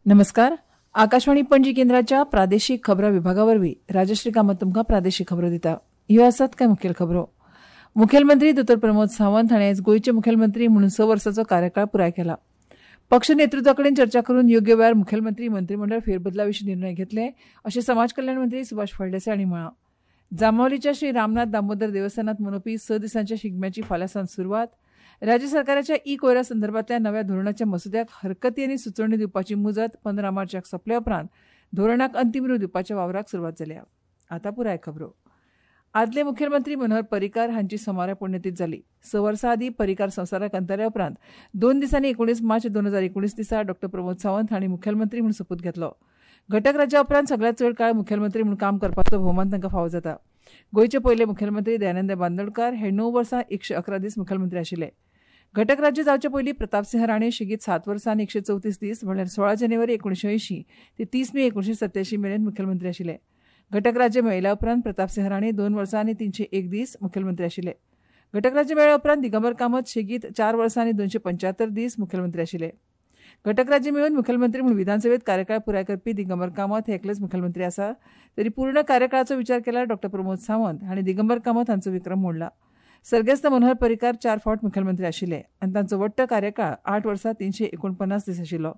नमस्कार. आकाशवाणी पणजी केंद्राच्या प्रादेशिक खबरां विभागा वरवीं राजश्री कामत तुमकां प्रादेशिक खबरो दिता. ह्यो आसात कांय मुखेल खबरो. मुखेलमंत्री दोतोर प्रमोद सावंत हांणी आयज गोंयचे मुखेलमंत्री म्हणून 6 वर्सांचो कार्यकाळ पुराय केला. पक्ष नेतृत्वा कडेन चर्चा करून योग्य वेळार मुखेलमंत्री मंत्रीमंडळ फेरबदला विशीं निर्णय घेतले अशें समाज कल्याण मंत्री सुभाष फळदेसाय हांणी म्हळां. जांबावलीच्या श्री रामनाथ दामोदर देवस्थानांत मनोवपी 6 दिसांच्या शिगम्याची फाल्यां सावन सुरवात. राज्य सरकाराच्या ई कोयरा संदर्भातल्या नव्या धोरणाच्या मसुद्याक हरकती आनी सुचोवणी दिवपाची मुजत 15 मार्चाक सोंपल्या उपरांत धोरणाक अंतीम रूप दिवपाच्या वावराक सुरवात जाल्या. आतां पुराय खबरो. आदले मुखेलमंत्री मनोहर पर्रीकार हांची सोमारा पुण्यतीथ जाली. 6 वर्सां आदीं पर्रीकार संवसाराक अंतरल्या उपरांत 2 दिसांनी 19 मार्च 2019 दिसा डॉ प्रमोद सावंत हांणी मुखेलमंत्री म्हूण सोपूत घेतलो. घटक राज्या उपरांत सगळ्यांत चड काळ मुखेलमंत्री म्हूण काम करपाचो भोवमान तांकां फावो जाता. गोंयचे पयले मुखेलमंत्री दयानंद बांदोडकार हे 9 वर्सां 111 दीस मुखेलमंत्री आशिल्ले. घटक राज्य जावचे पयलीं प्रतापसिंह राणे शेगीत 7 वर्सां आनी 134 दीस म्हणल्यार 16 जानेवारी 1980 ते 30 मे 1987 मेरेन मुखेलमंत्री आशिल्ले. घटक राज्य मेळयल्या उपरांत प्रतापसिंह राणे 2 वर्सां आनी 301 दीस मुखेलमंत्री आशिल्ले. घटक राज्य मेळ्ळ्या उपरांत दिगंबर कामत शेगीत 4 वर्सां आनी 275 दीस मुखेलमंत्री आशिल्ले. घटक राज्य मेळून मुखेलमंत्री म्हूण विधानसभेत कार्यकाळ पुराय करपी दिगंबर कामत हे एकलेच मुखेलमंत्री आसा. तरी पूर्ण कार्यकाळाचो विचार केल्यार डॉ प्रमोद सावंत हांणी दिगंबर कामत हांचो विक्रम मोडला. सर्गेस्त मनोहर पर्रीकार 4 फावट मुखेलमंत्री आशिल्ले आनी तांचो वट्ट कार्यकाळ 8 वर्सां 349 दीस आशिल्लो.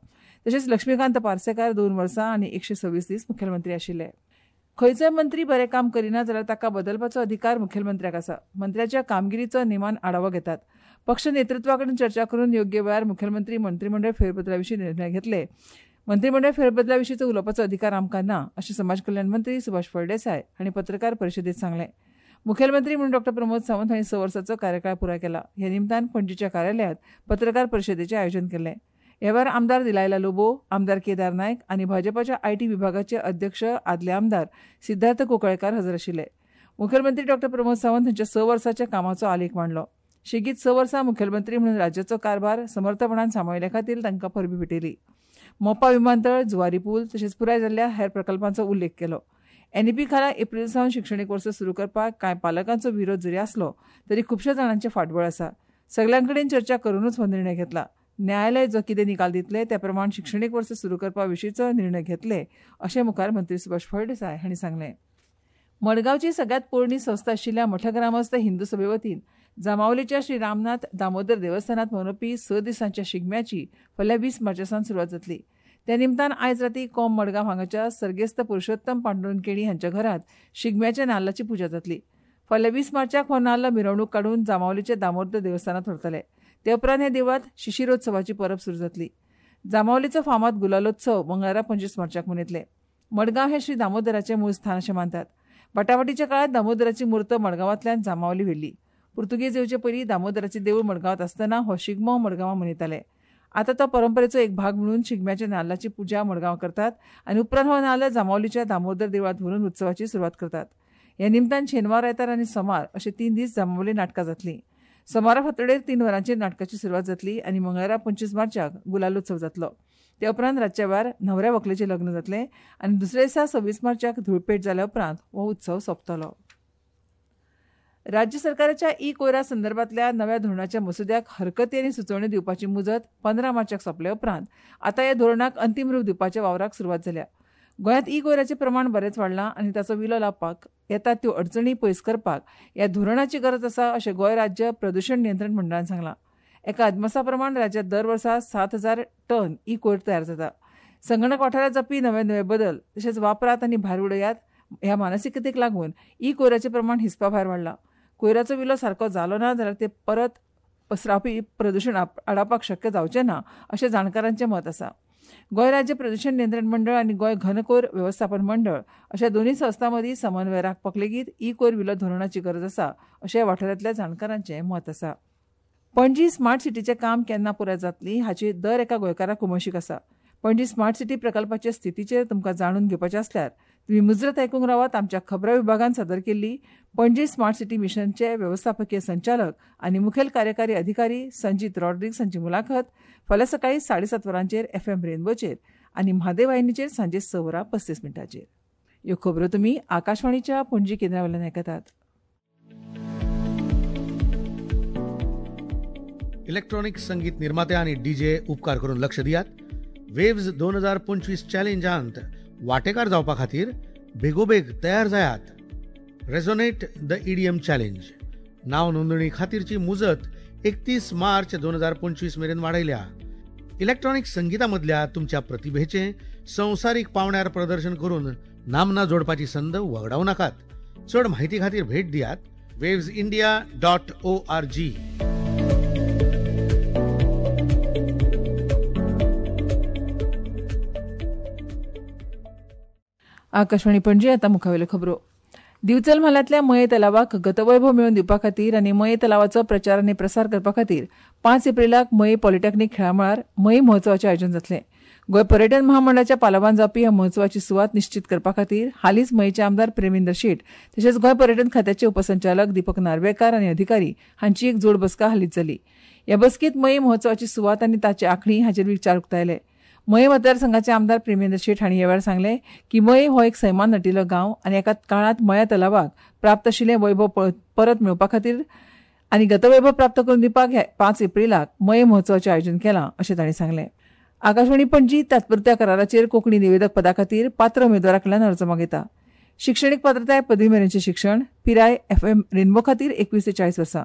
तशेंच लक्ष्मीकांत पार्सेकार 2 वर्सां आनी 126 दीस मुखेलमंत्री आशिल्ले. खंयचोय मंत्री बरें काम करिना जाल्यार ताका बदलपाचो अधिकार मुखेलमंत्र्याक आसा. मंत्र्याच्या कामगिरीचो नेमान आढावो घेतात. पक्ष नेतृत्वा कडेन चर्चा करून योग्य वेळार मुखेलमंत्री मंत्रीमंडळ फेरबदला विशीं निर्णय घेतले. मंत्रीमंडळ फेरबदला विशींचो उलोवपाचो अधिकार आमकां ना अशें समाज कल्याण मंत्री सुभाष फळदेसाय हांणी पत्रकार परिशदेंत सांगलें. मुखेलमंत्री म्हणून डॉ प्रमोद सावंत हांणी 6 वर्सांचो कार्यकाळ पुराय केला. ह्या निमतान पणजीच्या कार्यालयांत पत्रकार परिशदेचें आयोजन केल्लें. ह्या वेळार आमदार दिलायला लोबो, आमदार केदार नायक आनी भाजपाच्या IT विभागाचे अध्यक्ष आदले आमदार सिद्धार्थ कोकळेकार हजर आशिल्ले. मुखेलमंत्री डॉ प्रमोद सावंत हांच्या 6 वर्सांच्या कामाचो आलेख मांडलो. शेगीत 6 वर्सां मुखेलमंत्री म्हणून राज्याचो कारभार समर्थपणान सांबाळिल्ले खातीर तांकां परबी भेटयली. मोपा विमानतळ, जुवारी पूल तशेंच पुराय जाल्ल्या हेर प्रकल्पांचो उल्लेख केलो. एनईपी खाला एप्रील सावन शिक्षणीक वर्स सुरू करपाक कांय पालकांचो विरोध जरी आसलो तरी खुबश्या जाणांचें फाटबळ आसा. सगल्यां कडेन चर्चा करूनच हो निर्णय घेतला. न्यायालय जो कितें निकाल दितले त्या प्रमाण शिक्षणीक वर्स सुरू करपा विशींचो निर्णय घेतले अशें मुखार मंत्री सुभाष फळदेसाय हांणी सांगलें. मडगांवची सगळ्यांत पोरणी संस्था आशिल्ल्या मठग्रामस्थ हिंदू सभे वतीन जांबावलीच्या श्री रामनाथ दामोदर देवस्थानांत मनोवपी 6 दिसांच्या शिगम्याची फाल्यां 20 मार्चा सावन सुरवात जातली. त्या निमतान आयज राती कोम मडगांव हांगाच्या सर्गेस्त पुरुषोत्तम पांडुरंग केणी हांच्या घरांत शिगम्याच्या नाल्लाची पुजा जातली. फाल्यां 20 मार्चाक हो नाल्ल मिरवणूक काडून जांबावलीच्या दामोदर देवस्थानांत व्हरतले. ते उपरांत ह्या देवळांत शिशिरोत्सवाची परब सुरू जातली. जांबावलीचो फामाद गुलालोत्सव मंगळारा 25 मार्चाक मनयतले. मडगांव हें श्री दामोदराचें मूळ स्थान अशें मानतात. बाटाबाटीच्या काळांत दामोदराची मूर्त मडगांवांतल्यान जांबावली व्हेल्ली. पुर्तुगेज येवचे पयलीं दामोदराचें देवूळ मडगांवांत आसतना हो शिगमो मडगांवां मनयताले. आतां तो परंपरेचो एक भाग म्हणून शिगम्याच्या नाल्लाची पुजा मडगांव करतात आनी उपरांत हो नाल्ल जांबावलीच्या दामोदर देवळांत व्हरून उत्सवाची सुरवात करतात. ह्या निमतान शेनवार, आयतार आनी सोमार अशे 3 दीस जांबावली नाटकां जातलीं. सोमारा फांतोडेर 3 वरांचेर नाटकाची सुरवात जातली आनी मंगळारा 25 मार्चाक गुलालोत्सव जातलो. ते उपरांत रातच्या वेळार न्हवऱ्या व्हंकलेचें लग्न जातलें आनी दुसऱ्या दिसा 26 मार्चाक धुळपेट जाल्या उपरांत हो उत्सव सोंपतलो. राज्य सरकाराच्या ई कोयरा संदर्भातल्या नव्या धोरणाच्या मसुद्याक हरकती आनी सुचोवणी दिवपाची मुजत 15 मार्चाक सोंपल्या उपरांत आतां ह्या धोरणाक अंतीम रूप दिवपाच्या वावराक सुरवात जाल्या. गोंयांत ई कोयराचें प्रमाण बरेंच वाडलां आनी ताचो विलो लावपाक येतात त्यो अडचणी पयस करपाक ह्या धोरणाची गरज आसा अशें गोंय राज्य प्रदूशण नियंत्रण मंडळान सांगलां. एका अदमासा प्रमाण राज्यांत दर वर्सा 7,000 टन ई कोयर तयार जाता. संगणक वाठारांत जावपी नवे नवे बदल तशेंच वापरात आनी भायर उडयात ह्या मानसिकतेक लागून ई कोयराचें प्रमाण हिसपा भायर वाडलां. कोयराचो विलो सारको जालो ना जाल्यार ते परत पसरावपी प्रदूशण आडावपाक शक्य जावचें ना अशें जाणकारांचें मत आसा. गोंय राज्य प्रदूशण नियंत्रण मंडळ आनी गोंय घनकोयर वेवस्थापन मंडळ अशा दोनूय संस्थां मदीं समन्वय राखपाक लेगीत ई कोयर विलो धोरणाची गरज आसा अशें वाठारांतल्या जाणकारांचें मत आसा. पणजी स्मार्ट सिटीचें काम केन्ना पुराय जातली हाची दर एका गोंयकाराक उमळशीक आसा. पणजी स्मार्ट सिटी प्रकल्पाचे स्थितीचेर तुमकां जाणून घेवपाचें आसल्यार तुमी मुजरत आयकूंक रावात आमच्या खबरां विभागान सादर केल्ली पणजी स्मार्ट सिटी मिशनचे वेवस्थापकीय संचालक आनी मुखेल कार्यकारी अधिकारी संजीत रॉड्रिग्स हांची मुलाखत फाल्यां सकाळीं 7:30 वरांचेर एफएम रेनबोचेर आनी म्हादेव वाहिनीचेर सांजे 6 वरां 35 मिनटांचेर. ह्यो खबरो तुमी आकाशवाणीच्या पणजी केंद्रा वयल्यान आयकतात. इलेक्ट्रॉनिक संगीत निर्माते आणि डीजे उपकार करून लक्ष दियात. वेव्ज 2025 चॅलेंजांत वांटेकार जावपा खातीर बेगोबेग तयार जायात. रेझोनेट the EDM challenge नाव नोंदणी खातीरची मुजत 31 मार्च 2025 मेरेन वाडयल्या. इलेक्ट्रॉनिक संगीता मदल्या तुमच्या प्रतिभेचें संवसारीक पावंड्यार प्रदर्शन करून नामना जोडपाची संद वगडावं नाकात. चड म्हायती खातीर भेट दियात wavesindia.org. Akashvani Panaji. आतां मुखावेल्यो खबरो. दिवचल म्हालांतल्या मये तलावाक गतवैभव मेळोवन दिवपा खातीर आनी मये तलावाचो प्रचार आनी प्रसार करपा खातीर 5 एप्रिलाक मये पॉलिटेक्निक खेळामळार मये महोत्सवाचें आयोजन जातलें. गोंय पर्यटन महामंडळाच्या पालवान जावपी ह्या महोत्सवाची सुवात निश्चीत करपा खातीर हालींच मयेचे आमदार प्रेमेंद्र शेट तशेंच गोंय पर्यटन खात्याचे उपसंचालक दीपक नार्वेकार आनी अधिकारी हांची एक जोड बसका हालींच जाली. ह्या बसकेंत मये महोत्सवाची सुवात आनी ताची आंखणी हाचेर विचार उक्तायले. मये मतदारसंघाचे आमदार प्रेमेंद्र शेट हांणी ह्या वेळार सांगलें की मये हो एक सैमान नटिल्लो गांव आनी एका काळांत मया तलावाक प्राप्त आशिल्लें वैभव परत मेळोवपा खातीर आनी गतवैभव प्राप्त करून दिवपाक 5 एप्रिलाक मये महोत्सवाचें आयोजन केलां अशें तांणी सांगलें. आकाशवाणी पणजी तात्पुरत्या कराराचेर कोंकणी निवेदक पदा खातीर पात्र उमेदवारा कडल्यान अर्ज मागयता. शिक्षणीक पात्रताय पदवी मेरेनचें शिक्षण, पिराय एफएम रेनबो खातीर 21 ते 40 वर्सां,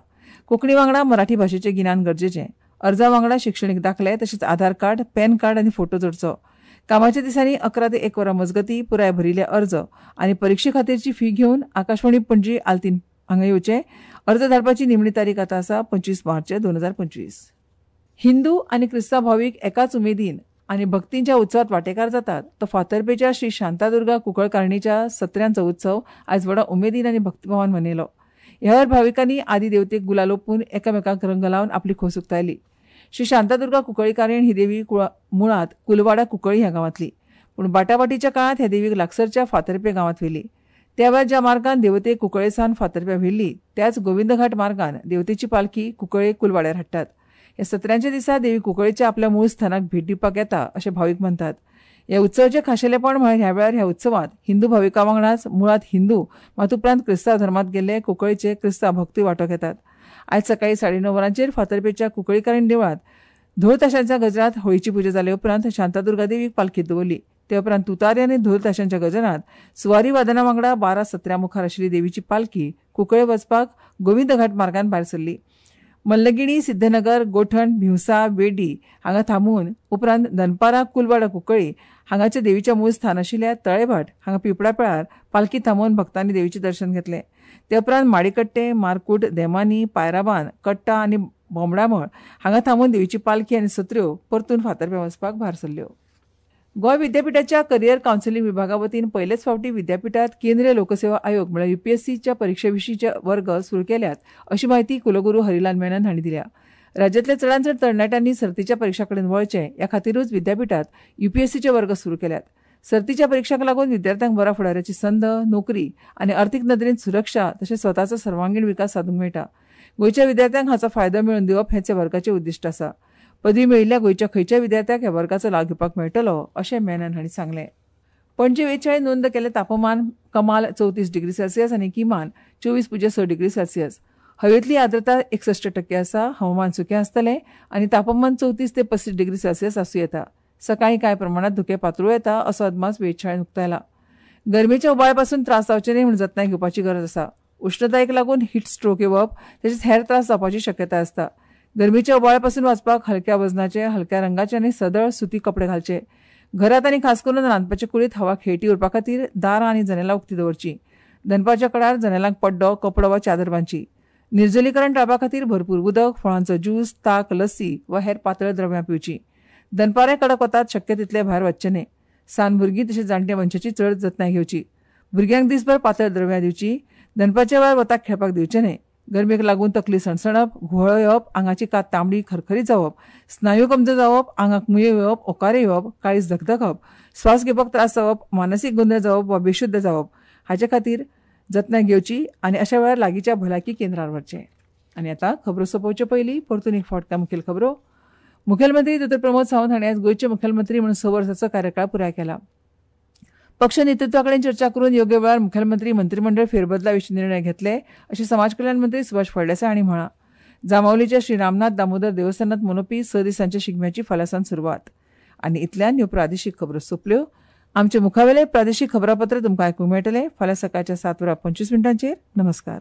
कोंकणी वांगडा मराठी भाशेचें गिन्यान गरजेचें. अर्जा वांगडा शिक्षणीक दाखले तशेंच आधार कार्ड, पॅन कार्ड आनी फोटो जोडचो. कामाच्या दिसांनी 11 ते 1 वरां मजगतीं पुराय भरिल्ले अर्ज आनी परिक्षे खातीरची फी घेवन आकाशवाणी पणजी आल्तीन हांगा येवचे. अर्ज धाडपाची निमणी तारीख आतां आसा 25 मार्च 2025. हिंदू आनी क्रिस्तांव भावीक एकाच उमेदीन आनी भक्तींच्या उत्सवात वांटेकार जातात तो फातर्पेच्या श्री शांतादुर्गा कुंकळकारणीच्या सत्र्यांचो उत्सव आयज व्हडा उमेदीन आनी भक्तिभावान मनयलो. ह्या वेळार भाविकांनी आदी देवतेक गुलाल ओंपून एकामेकांक रंग लावन आपली खोस उक्तायली. श्री शांतादुर्गा कुंकळीकारीण ही देवी मुळांत कुलवाडा कुंकळी ह्या गांवांतली, पूण बाटाबाटीच्या काळांत ह्या देवीक लागसरच्या फातर्पे गांवांत व्हेली. त्या वेळार ज्या मार्गान देवतेक कुंकळे सावन फातर्प्या व्हेल्ली त्याच गोविंदघाट मार्गान देवतेची पालखी कुंकळे कुलवाड्यार हाडटात. ह्या सत्र्यांच्या दिसा देवी कुंकळेच्या आपल्या मूळ स्थानाक भेट दिवपाक येता अशें भावीक म्हणटात. ह्या उत्सवाचें खाशेलेपण म्हळ्यार ह्या वेळार ह्या उत्सवांत हिंदू भाविकां वांगडाच मुळांत हिंदू मात उपरांत क्रिस्तांव धर्मांत गेल्ले कुंकळेचे क्रिस्तांव भक्तूय वांटो घेतात. आयज सकाळी 9:30 वरांचेर फातर्पेच्या कुंकळीकारीण देवळांत धोल ताशांच्या गजरात होळीची पुजा जाले उपरांत शांतादुर्गा देवीक पालखीत दवरली. ते उपरांत तुतारी आनी धोल ताशांच्या गजरात सुवारी वादना वांगडा 12 सत्र्यां मुखार आशिल्ली देवीची पालखी कुंकळे वचपाक गोविंदघाट मार्गान भायर सरली. मल्लगिणी, सिद्धनगर, गोठण, भिवसा, वेडी हांगा थांबून उपरांत दनपारां कुलवाडा कुंकळी हांगाच्या देवीच्या मूळ स्थान आशिल्ल्या तळेभाट हांगा पिंपळा पेळार पालखी थांबोवन भक्तांनी देवीचें दर्शन घेतलें. ते उपरांत माडीकट्टे, मारकूट, देमानी, पायराबान, कट्टा आनी बोमडामळ हांगा थांबून देवीची पालखी आनी सत्र्यो परतून फातर्प्यां वचपाक भायर सरल्यो. गोंय विद्यापीठाच्या करियर कावन्सिलिंग विभागा वतीन पयलेच फावटी विद्यापीठात केंद्रीय लोकसेवा आयोग म्हळ्यार यूपीएससीच्या परिक्षे विशींचे वर्ग सुरू केल्यात अशी म्हायती कुलगुरू हरिलाल मेनन हांणी दिल्या. राज्यांतल्या चडांत चड तरणाट्यांनी सर्तीच्या परिक्षां कडेन वळचें ह्या खातीरूच विद्यापीठात यूपीएससीचे वर्ग सुरू केल्यात. सर्तीच्या परिक्षांक लागून विद्यार्थ्यांक बऱ्या फुडाराची संद, नोकरी आनी अर्थीक नदरेन सुरक्षा तशेंच स्वताचो सर्वांगीण विकास सादूंक मेळटा. गोंयच्या विद्यार्थ्यांक हाचो फायदो मेळोवन दिवप हेंच ह्या वर्गाचें उद्दिश्ट आसा. पदवी मेळिल्ल्या गोंयच्या खंयच्याय विद्यार्थ्याक ह्या वर्गाचो लाव घेवपाक मेळटलो अशें मेनन हांणी सांगलें. पणजे वेळार नोंद केल्लें तापमान कमाल 34 डिग्री सेल्सियस आनी किमान 24.6 डिग्री सेल्सियस. हवेंतली आर्द्रता 61% आसा. हवामान सुकें आसतलें आनी तापमान 34 ते 35 डिग्री सेल्सियस आसूं येता. सकाळीं कांय प्रमाणांत धुकें पातळूं येता असो अदमास वेधशाळेन उक्तायला. गरमेच्या उबाळ्यापासून त्रास जावचे न्हय म्हूण जतनाय घेवपाची गरज आसा. उश्णतायेक लागून हीट स्ट्रोक येवप तशेंच हेर त्रास जावपाची शक्यताय आसता. गरमेच्या उबाळ्यापासून वाचपाक हलक्या वजनाचे, हलक्या रंगाचे आनी सदळ सुती कपडे घालचे. घरांत आनी खास करून रांदपाचे कुडींत हवा खेळटी उरपा खातीर दारां आनी जनेलां उक्ती दवरचीं. दनपारच्या कडार जनेलांक पड्डो, कपडो वा चादर बांदची. निर्जलीकरण टाळपा खातीर भरपूर उदक, फळांचो ज्यूस, ताक, लस्सी वा हेर पातळ द्रव्यां पिवचीं. दनपारां कडक वतात शक्य तितले भायर वचचें न्हय. सान भुरगीं तशेंच जाणट्या मनशाची चड जतनाय घेवची. भुरग्यांक दिसभर पातळ द्रव्यां दिवची. दनपारच्या वेळार वताक खेळपाक दिवचें न्हय. गरमेक लागून तकली सणसणप, घुंवळ येवप, आंगाची कात तांबडी खरखरीत जावप, स्नायू कमजोर जावप, आंगाक मुयो येवप, ओंकारे येवप, काळीज धकधकप, श्वास घेवपाक त्रास जावप, मानसीक गोंदळ जावप वा बेशुद्ध जावप हाचे खातीर जतनाय घेवची आनी अशा वेळार लागींच्या भलायकी केंद्रार वचचें. आनी आतां खबरो सोंपोवचे पयलीं परतून एक फावट मुखेल खबरो. मुखेलमंत्री दोतोर प्रमोद सावंत हांणी आयज गोंयचे मुखेलमंत्री म्हणून 6 वर्सांचो कार्यकाळ पुराय केला. पक्ष नेतृत्वा कडेन चर्चा करून योग्य वेळार मुखेलमंत्री मंत्रिमंडळ फेरबदला विशीं निर्णय घेतले अशें समाज कल्याण मंत्री सुभाष फळदेसाय हांणी म्हळां. जांबावलीच्या श्री रामनाथ दामोदर देवस्थानांत मनोवपी 6 दिसांच्या शिगम्याची फाल्यां सावन सुरवात. आनी इतल्यान ह्यो प्रादेशीक खबरो सोंपल्यो. आमचे मुखावेले प्रादेशीक खबरापत्र तुमकां आयकूंक मेळटलें फाल्यां सकाळच्या 7:25. नमस्कार.